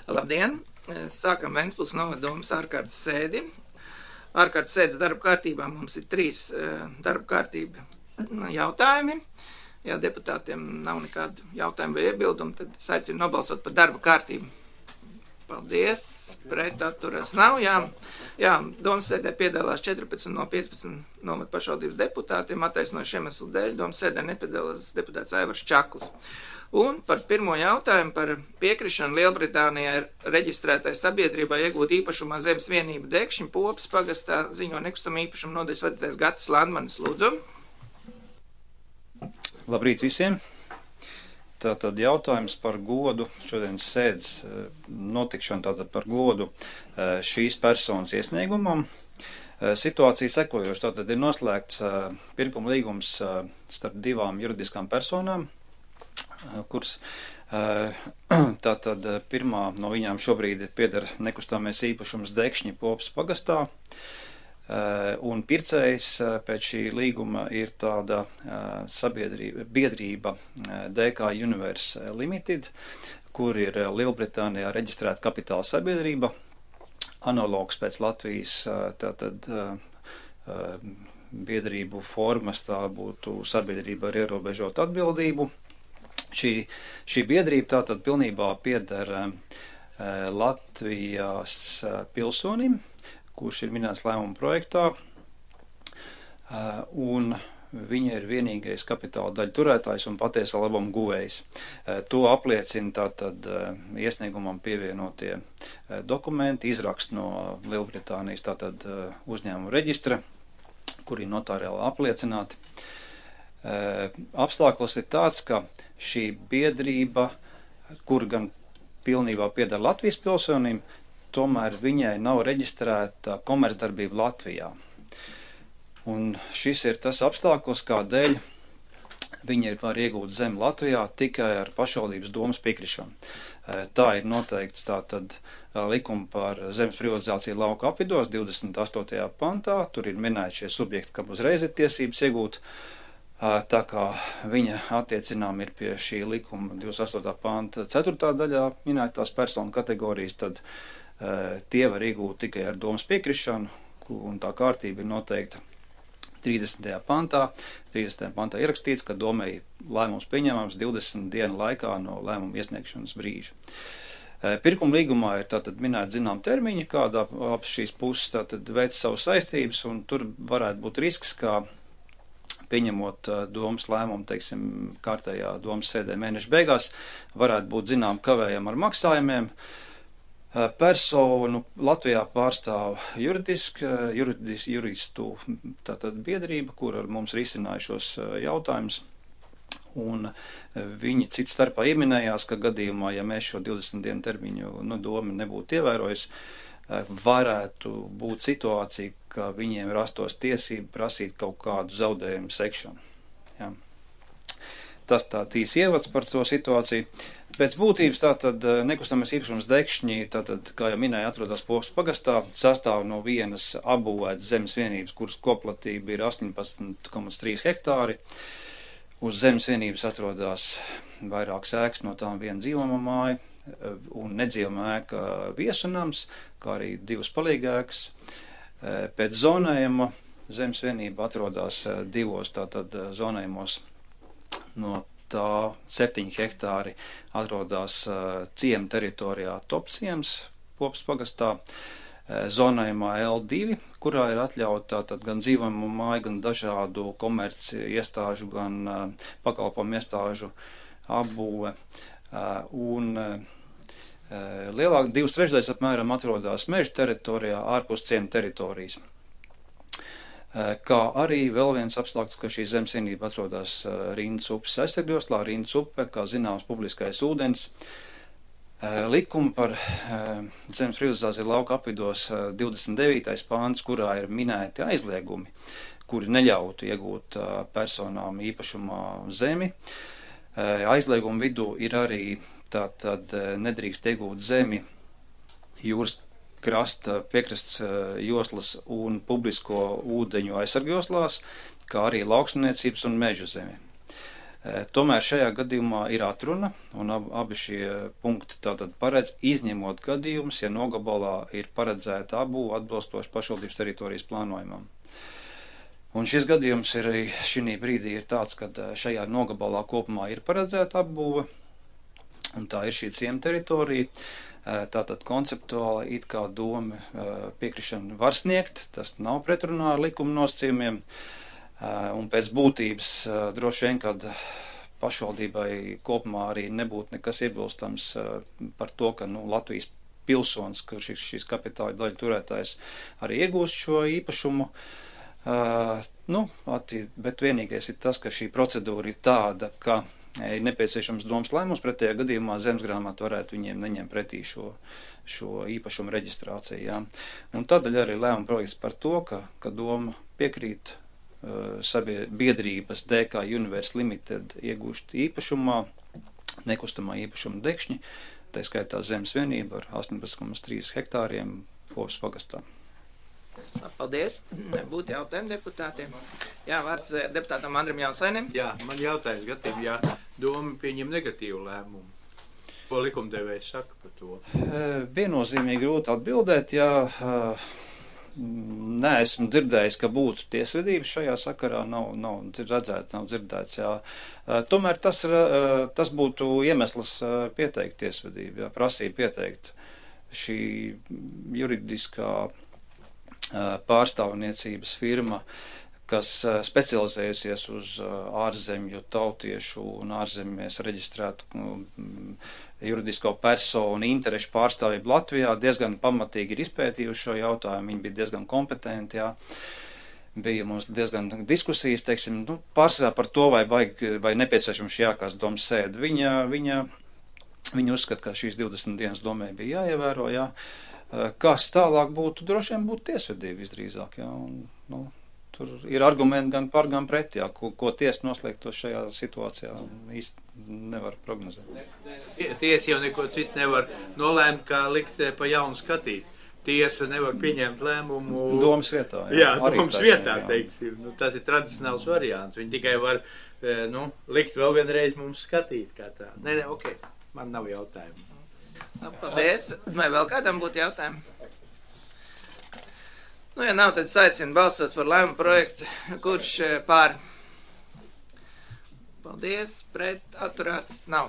Labdien! Sākam Ventspils novada domas ārkārtas sēdi. Ārkārtas sēdes darba kārtībā mums ir 3 darba kārtība jautājumi. Ja deputātiem nav nekādu jautājumu vai iebildumu, tad es aicinu nobalsot par darba kārtību. Paldies! Pret atturas nav. Jā, domas sēdē piedalās 14 no 15 novada pašvaldības deputātiem. Attaisnojuši iemeslu dēļ domas sēdē nepiedalās deputāts Aivars Čaklis. Un par pirmo jautājumu par piekrišanu Lielbritānijā reģistrētai sabiedrībai iegūt īpašumā zemes vienību Dekšņu Popas pagastā ziņo nekustamā īpašuma nodaļas vadītājs Gatis Landmanis. Lūdzu. Labrīt visiem! Tātad jautājums par godu šodienas sēdes notikšanu, tātad par godu šīs personas iesniegumam. Situācija sekojoša, tātad ir noslēgts pirkuma līgums starp 2 juridiskām personām, kuras tātad pirmā no viņām šobrīd pieder nekustamais īpašums Dekšņi Popas pagastā, un pircējs pēc šī līguma ir tāda biedrība DK Universe Limited, kur ir Lielbritānijā reģistrēta kapitāla sabiedrība, analogs pēc Latvijas tātad biedrību formas, tā būtu sabiedrība ar ierobežotu atbildību. Šī biedrība tātad pilnībā pieder Latvijas pilsonim, kurš ir minēts lēmuma projektā, un viņa ir vienīgais kapitāla daļu turētājs un patiesā labuma guvējs. To apliecina tātad iesniegumam pievienotie dokumenti, izraksts no Lielbritānijas tātad uzņēmuma reģistra, kuri notariāli apliecināti. Apstākļus ir tāds, ka šī biedrība, kur gan pilnībā pieder Latvijas pilsonim, tomēr viņai nav reģistrēta komercdarbība Latvijā. Un šis ir tas apstākļus, kādēļ viņa var iegūt zemi Latvijā tikai ar pašvaldības domas piekrišanu. Tā ir noteikts tātad likuma par zemes privatizāciju lauka apvidos 28. pantā. Tur ir minēti šie subjekti, kam uzreiz ir tiesības iegūt. Tā kā viņa attiecinām ir pie šī likuma 28. panta 4. daļā minētās personu kategorijas, tad tie var iegūt tikai ar domas piekrišanu, un tā kārtība ir noteikta 30. pantā. 30. pantā ierakstīts, ka domai lēmums pieņemams 20 dienu laikā no lēmuma iesniegšanas brīža. Pirkuma līgumā ir tātad minēti zinām termiņi, kādā abas šīs puses tātad veic savas saistības, un tur varētu būt risks, ka pieņemot domas lēmumu, teiksim, kārtējā domas sēdē mēneša beigās, varētu būt zinām kavējam ar maksājumiem. Personu Latvijā pārstāv juristu tātad biedrība, kur ar mums risināja šos jautājumus, un viņi cits starpā ieminējās, ka gadījumā, ja mēs šo 20 dienu termiņu doma nebūtu ievērojusi, varētu būt situācija, ka viņiem rastos tiesība prasīt kaut kādu zaudējumu sekšanu. Ja. Tas tā tīs ievads par to situāciju. Pēc būtības tātad nekustamais īpašums Dekšņi, tātad, kā jau minēja, atrodas Popas pagastā, sastāv no vienas apbūvētas zemes vienības, kuras koplatība ir 18,3 hektāri. Uz zemes vienības atrodas vairākas ēkas, no tām viena dzīvojamā māja un nedzīvojamā ēka viesunams, kā arī 2 palīgēkas. Pēc zonējuma zemes vienība atrodas 2 tātad zonējumos. No tā 7 hektāri atrodas ciema teritorijā Topciems Popas pagastā, zonējumā L2, kurā ir atļauta tātad gan dzīvojamo māju, gan dažādu komerci iestāžu, gan pakalpojumu iestāžu apbūve. Un lielāk 2/3 apmēram atrodas meža teritorijā ārpus ciema teritorijas. Kā arī vēl viens apstākļus, ka šī zemes vienība atrodas Rindas upes aizsargjoslā. Rindas upe, kā zināms, publiskais ūdens. Likuma par zemes privatizāciju lauka apvidos 29. pāns, kurā ir minēti aizliegumi, kuri neļautu iegūt personām īpašumā zemi. Aizliegumu vidū ir arī tātad nedrīkst iegūt zemi jūras krasta piekrasts joslas un publisko ūdeņu aizsargjoslās, kā arī lauksmniecības un meža zemi. Tomēr šajā gadījumā ir atruna, un abi šie punkti tātad paredz izņemot gadījumus, ja nogabalā ir paredzēta apbūve atbilstoši pašvaldības teritorijas plānojumam. Un šis gadījums ir šī brīdī ir tāds, ka šajā nogabalā kopumā ir paredzēta apbūve, un tā ir šī ciema teritorija. Tātad konceptuāli it kā doma piekrišana var sniegt, tas nav pretrunā ar likuma nosacījumiem, un pēc būtības droši vien, kad pašvaldībai kopumā arī nebūtu nekas iebilstams par to, ka Latvijas pilsonis, kurš ir šīs kapitāla daļu turētājs, arī iegūst šo īpašumu. Bet vienīgais ir tas, ka šī procedūra ir tāda, ka ir nepieciešams domas lēmums, pretējā gadījumā zemesgrāmata varētu viņiem neņemt pretī šo īpašumu reģistrāciju. Jā. Un tādēļ arī lēmuma projekts par to, ka doma piekrīt biedrības DK Universe Limited iegūst īpašumā, nekustamā īpašuma dekšņi, tā skaitā zemes vienība ar 18,3 hektāriem Popas pagastā. Paldies. Būtu jautājumi deputātiem. Jā, vārds deputātam Andrim Jansainim. Jā, man jautājums gadījumā, ja doma pieņem negatīvu lēmumu. Ko likumdevējs saka par to? Viennozīmīgi grūti atbildēt, ja neesmu dzirdējis, ka būtu tiesvedības šajā sakarā, nav dzirdēts, jā. Tomēr tas būtu iemesls pieteikt tiesvedību, jā, prasību pieteikt šī juridiskā pārstāvniecības firma, kas specializējusies uz ārzemju tautiešu un ārzemēs reģistrētu juridisko personu interešu pārstāvību Latvijā, diezgan pamatīgi ir izpētījuši šo jautājumu, viņi bija diezgan kompetenti, jā. Bija mums diezgan diskusijas, teiksim, pārsvarā par to, vai nepieciešams šī ārkārtas domas sēde. Viņa uzskata, ka šīs 20 dienas domē bija jāievēro, jā. Kas tālāk būtu, droši vien būtu tiesvedība visdrīzāk, jā, un, tur ir argumenti gan par, gan pret, jā, ko tiesa noslēgtos šajā situācijā īsti nevar prognozēt. Tiesa jau neko citu nevar nolēmt, kā likt pa jaunu skatīt. Tiesa nevar pieņemt lēmumu domas vietā. Jā, domas vietā, teiksim. Tas ir tradicionāls variants. Viņi tikai var, likt vēl vienreiz mums skatīt kā tā. Nē, ok, man nav jautājumu. Paldies. Vai vēl kādam būtu jautājumi? Ja nav, tad aicinu balsot par lēmumu projektu, kurš pār. Paldies, pret, atturās, nav.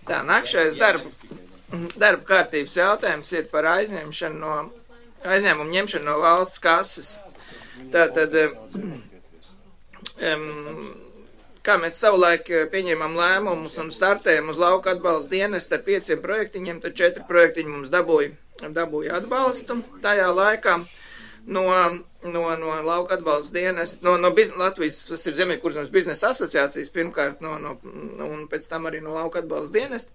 Tā, nākšais darba kārtības jautājums ir par aizņēmumu ņemšanu no valsts kases. Tātad, kā mēs savulaik pieņēmām lēmumus un startējam uz lauka atbalsta dienestu ar 5 projektiņiem, tad 4 projektiņi mums dabūja atbalstu tajā laikā no lauka atbalsta dienesta, no Latvijas, tas ir Zemiekurzemes biznesa asociācijas pirmkārt, un pēc tam arī no lauka atbalsta dienesta,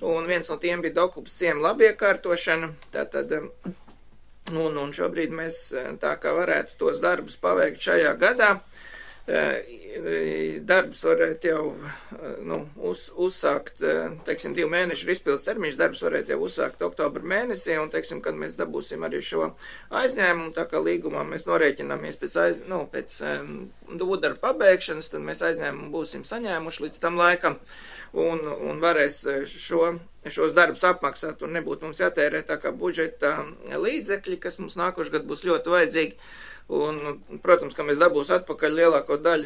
un viens no tiem bija Dokupas ciema labiekārtošana, tātad, un šobrīd mēs tā kā varētu tos darbus paveikt šajā gadā. Darbs varētu jau uzsākt, teiksim, 2 mēnešu ir izpildes termiņš, darbs varētu jau uzsākt oktobra mēnesī, un, teiksim, kad mēs dabūsim arī šo aizņēmumu, tā kā līgumā mēs norēķināmies pēc darba pabeigšanas, tad mēs aizņēmumu būsim saņēmuši līdz tam laikam, un varēs šos darbus apmaksāt, un nebūtu mums jātērē tā kā budžeta līdzekļi, kas mums nākošais gadu būs ļoti vajadzīgi. Un, protams, ka mēs dabūs atpakaļ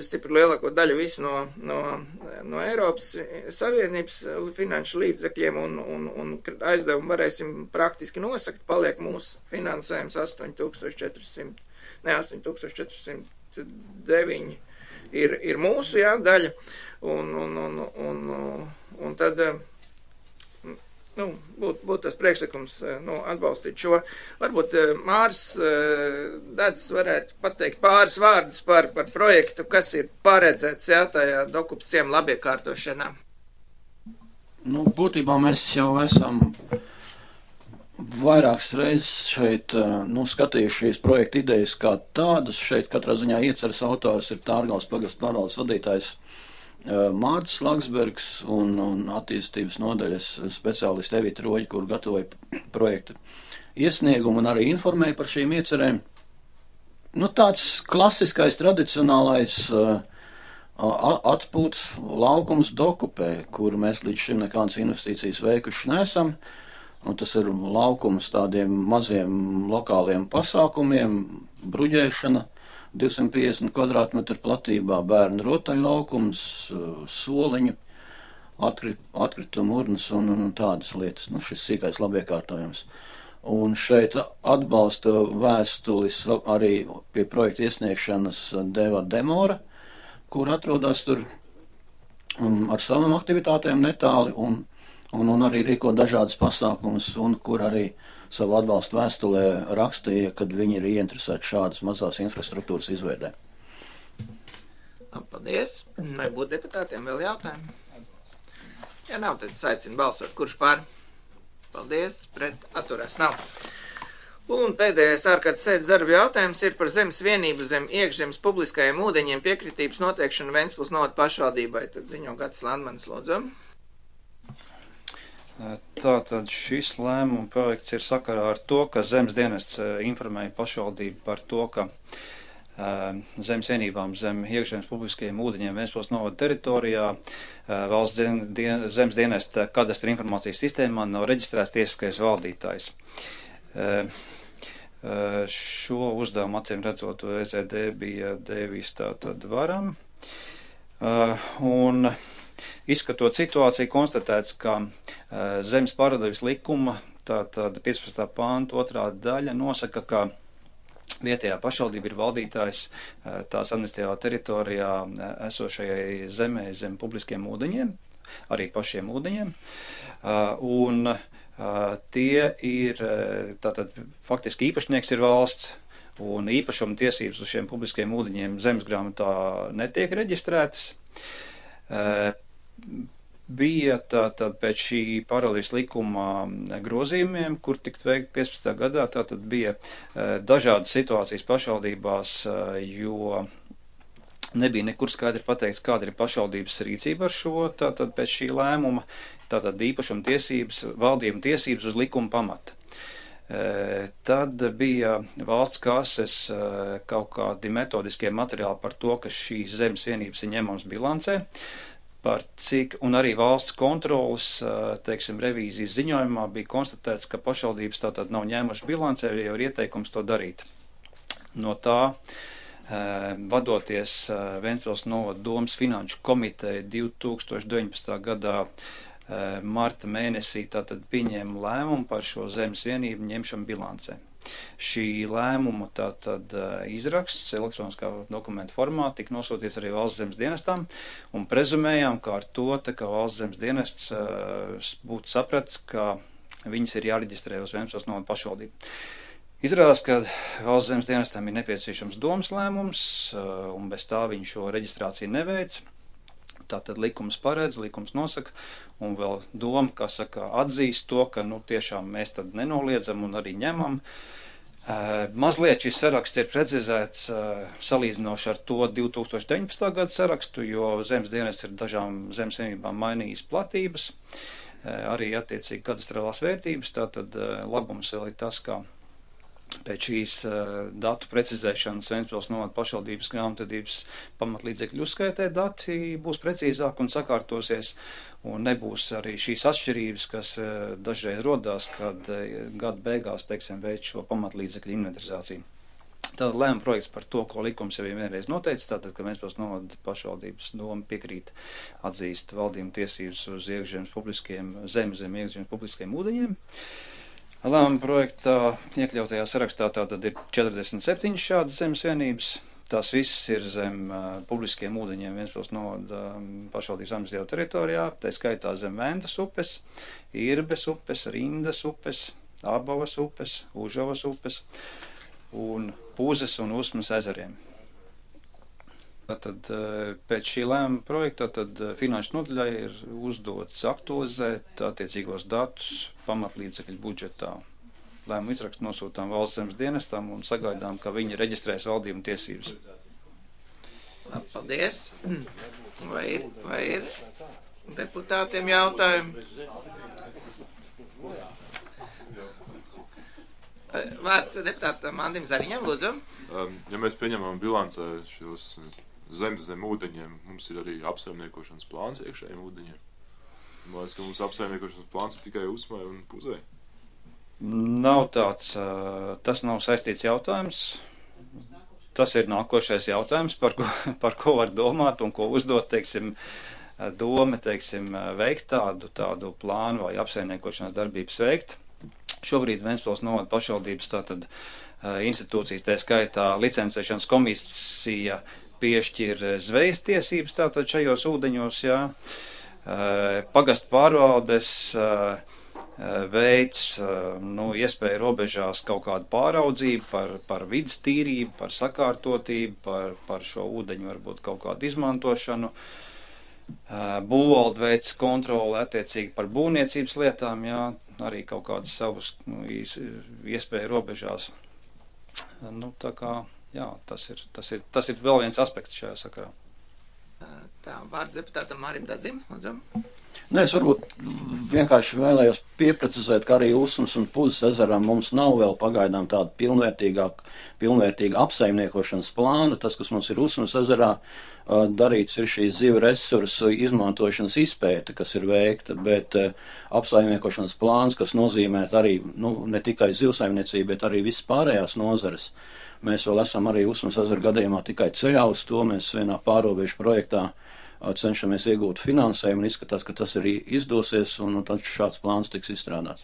stipri lielāko daļu visu no Eiropas Savienības finanšu līdzekļiem un aizdevumu varēsim praktiski nosakt, paliek mūsu finansējums 8409 ir mūsu, jā, daļa, un tad būtu tas priekšlikums atbalstīt šo. Varbūt Māris Dēds varētu pateikt pāris vārdus par projektu, kas ir paredzēts, jā, tajā Dokupas ciema labiekārtošanā. Būtībā mēs jau esam vairākas reizes šeit skatījuši šīs projekta idejas kā tādas. Šeit katrā ziņā ieceres autors ir Tārgales pagasta pārvaldes vadītājs Mārcis Laksbergs un attīstības nodaļas speciālisti Evita Roģi, kur gatavoja projektu iesniegumu un arī informēja par šīm iecerēm. tāds klasiskais, tradicionālais atpūtas laukums Dokupē, kur mēs līdz šim nekādas investīcijas veikuši nesam. Un tas ir laukums tādiem maziem lokāliem pasākumiem, bruģēšana, 250 kvadrātmetru platībā, bērnu rotaļlaukums, soliņu, atkritumu urnas un tādas lietas. Šis sīkais labiekārtojums. Un šeit atbalsta vēstulis arī pie projekta iesniegšanas deva Demora, kur atrodas tur ar savām aktivitātēm netāli un arī rīko dažādas pasākumus, un kur arī savu atbalstu vēstulē rakstīja, kad viņi ir ieinteresēti šādas mazās infrastruktūras izveidē. Paldies. Vai būtu deputātiem vēl jautājumi? Ja nav, tad es aicinu balsot. Kurš pār? Paldies. Pret atturās nav. Un pēdējais ārkārtas sēdes darba jautājums ir par zemes vienību zem iekšzemes publiskajiem ūdeņiem piekritības noteikšanu Ventspils novada pašvaldībai. Tad ziņo Gatis Landmanis, lūdzu. Tātad šis lēmuma projekts ir sakarā ar to, ka zemes dienests informēja pašvaldību par to, ka zemes vienībām zem iekšzemes publiskajiem ūdeņiem Ventspils novada teritorijā valsts zemes dienesta kadastra informācijas sistēmā nav reģistrēts tiesiskais valdītājs. Šo uzdevumu acīm redzot VZD bija devis tātad varam. Un izskatot situāciju, konstatēts, ka zemes pārvaldības likuma tātad 15. pānta 2. daļa nosaka, ka vietējā pašvaldība ir valdītājs tās administratīvā teritorijā esošajai zemē zem publiskiem ūdeņiem, arī pašiem ūdeņiem. Un tie ir, tātad faktiski īpašnieks ir valsts, un īpašuma tiesības uz šiem publiskiem ūdeņiem zemes grāmatā netiek reģistrētas. Bija tātad pēc šī pārvaldības likuma grozījumiem, kur tikt veikt 15. gadā, tātad bija dažādas situācijas pašvaldībās, jo nebija nekur skaidri pateikts, kāda ir pašvaldības rīcība ar šo, tātad pēc šī lēmuma, tātad īpašuma tiesības, valdījuma tiesības uz likuma pamata. Tad bija valsts kases kaut kādi metodiskie materiāli par to, ka šīs zemes vienības ir ņemams bilancē, par cik, un arī valsts kontrolas, teiksim, revīzijas ziņojumā bija konstatēts, ka pašvaldības tātad nav ņēmuši bilancē, jau ir ieteikums to darīt. No tā, vadoties Ventspils novada domas finanšu komiteja 2019. gadā marta mēnesī tātad pieņēma lēmumu par šo zemes vienību ņemšanu bilancē. Šī lēmuma tātad izraksts elektroniskā dokumenta formā tika nosūtīts arī valsts zemes dienestām un prezumējām, ka ar to, ka valsts zemes dienests būtu sapratis, ka viņas ir jāreģistrē uz Ventspils novada pašvaldību. Izrādās, ka valsts zemes dienestam ir nepieciešams domas lēmums un bez tā viņi šo reģistrāciju neveic. Tātad likums paredz, likums nosaka, un vēl doma, kā saka, atzīst to, ka, tiešām mēs tad nenoliedzam un arī ņemam. Mazliet šis saraksts ir precizēts salīdzinoši ar to 2019. gada sarakstu, jo zemes dienests ir dažām zemes vienībām mainījis platības, arī attiecīgi kadastrālās vērtības, tātad labums vēl ir tas, ka pēc šīs datu precizēšanas Ventspils novada pašvaldības grāmatvedības pamatlīdzekļu uzskaitē dati būs precīzāk un sakārtosies, un nebūs arī šīs atšķirības, kas dažreiz rodās, kad gada beigās, teiksim, veic šo pamatlīdzekļu inventarizāciju. Tātad lēma projekts par to, ko likums jau vienreiz noteicis, tātad, ka Ventspils novada pašvaldības doma piekrīt atzīst valdījuma tiesības uz iekšzemes publiskiem, zem iekšzemes publiskiem ūdeņiem. Lēmuma projektā iekļautajā sarakstā tātad ir 47 šādas zemes vienības. Tās visas ir zem publiskiem ūdeņiem Ventspils novada pašvaldības administratīvā teritorijā, tā skaitā zem Ventas upes, Irbes upes, Rindas upes, Abavas upes, Užavas upes un Pūzes un Usmas ezeriem. Tātad pēc šī lēmuma projekta finanšu nodaļai ir uzdots aktualizēt attiecīgos datus pamatlīdzekļu budžetā. Lēmumu izrakstu nosūtām valsts zemes dienestam un sagaidām, ka viņi reģistrēs valdījuma tiesības. Paldies. Vai ir deputātiem jautājumi? Vārds deputātam Andim Zariņam, lūdzu. Ja mēs pieņemam bilancē šos zem ūdeņiem, mums ir arī apsaimniekošanas plāns iekšējiem ūdeņiem. Man liekas, ka mums apsaimniekošanas plāns ir tikai Usmai un Puzei. Nav tāds, tas nav saistīts jautājums. Tas ir nākošais jautājums, par ko var domāt un ko uzdot, teiksim, doma, teiksim, veikt tādu plānu vai apsaimniekošanas darbības veikt. Šobrīd Ventspils novada pašvaldības tātad institūcijas, tā skaitā licencēšanas komisija piešķir zvejas tiesības tātad šajos ūdeņos, jā. Pagastu pārvaldes veids, iespēja robežās kaut kādu pāraudzību par vidas tīrību, par sakārtotību, par šo ūdeņu varbūt kaut kādu izmantošanu. Būvvalde veids kontroli attiecīgi par būvniecības lietām, jā, arī kaut kādas savus iespēju robežās. Tā kā, jā, tas ir vēl viens aspekts šajā sakarā. Tā, vārds deputātam Mārim Dadzim, lūdzu. Nē, es varbūt vienkārši vēlējos pieprecizēt, ka arī Usmas un Puzes ezerā mums nav vēl pagaidām tāda pilnvērtīga apsaimniekošanas plāna. Tas, kas mums ir Usmas ezerā, darīts ir šī zivju resursu izmantošanas izpēte, kas ir veikta, bet apsaimniekošanas plāns, kas nozīmē arī, ne tikai zivsaimniecību, bet arī visas pārējās nozares. Mēs vēl esam arī Usmas ezera gadījumā tikai ceļā uz to. Mēs vienā pārobežu projektā cenšamies iegūt finansējumu un izskatās, ka tas arī izdosies, un tad šāds plāns tiks izstrādāts.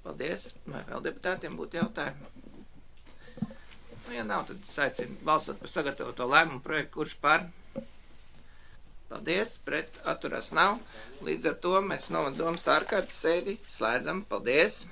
Paldies. Vai vēl deputātiem būtu jautājumi? Ja nav, tad es aicinu balsot par sagatavoto lēmumu projektu, kurš par. Paldies, pret atturās nav. Līdz ar to mēs novada domas ārkārtas sēdi slēdzam. Paldies.